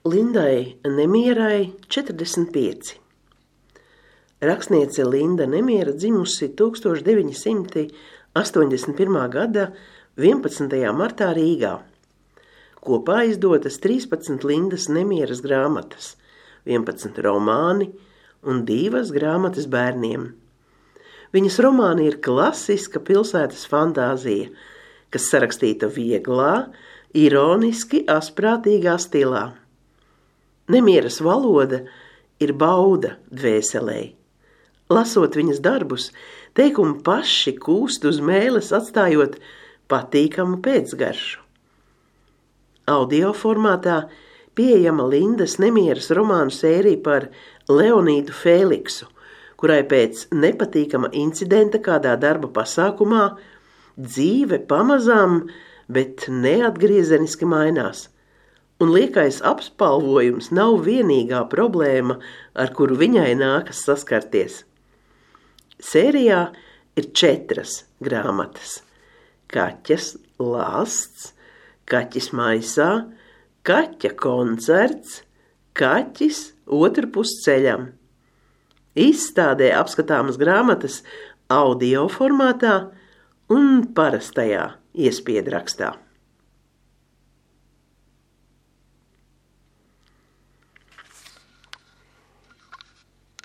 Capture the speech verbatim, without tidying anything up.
Lindai Nemierai četrdesmit pieci. Rakstniece Linda Nemiera dzimusi tūkstoš deviņi simti astoņdesmit pirmā gada vienpadsmitajā martā Rīgā. Kopā izdotas trīspadsmit Lindas Nemieras grāmatas, vienpadsmit romāni un divas grāmatas bērniem. Viņas romāni ir klasiska pilsētas fantāzija, kas sarakstīta vieglā, ironiski asprātīgā stilā. Nemieras valoda ir bauda dvēselei. Lasot viņas darbus, teikumi paši kūst uz mēles, atstājot patīkamu pēcgaršu. Audio formātā pieejama Lindas Nemieras romānu sērija par Leonīdu Fēliksu, kurai pēc nepatīkama incidenta kādā darba pasākumā dzīve pamazām, bet neatgriezeniski mainās. Un liekais apspalvojums nav vienīgā problēma, ar kuru viņai nākas saskarties. Sērijā ir četras grāmatas – Kaķas lāsts, Kaķis maisā, Kaķa koncerts, Kaķis otrpus ceļam. Izstādē apskatāmas grāmatas audio formātā un parastajā iespiedrakstā.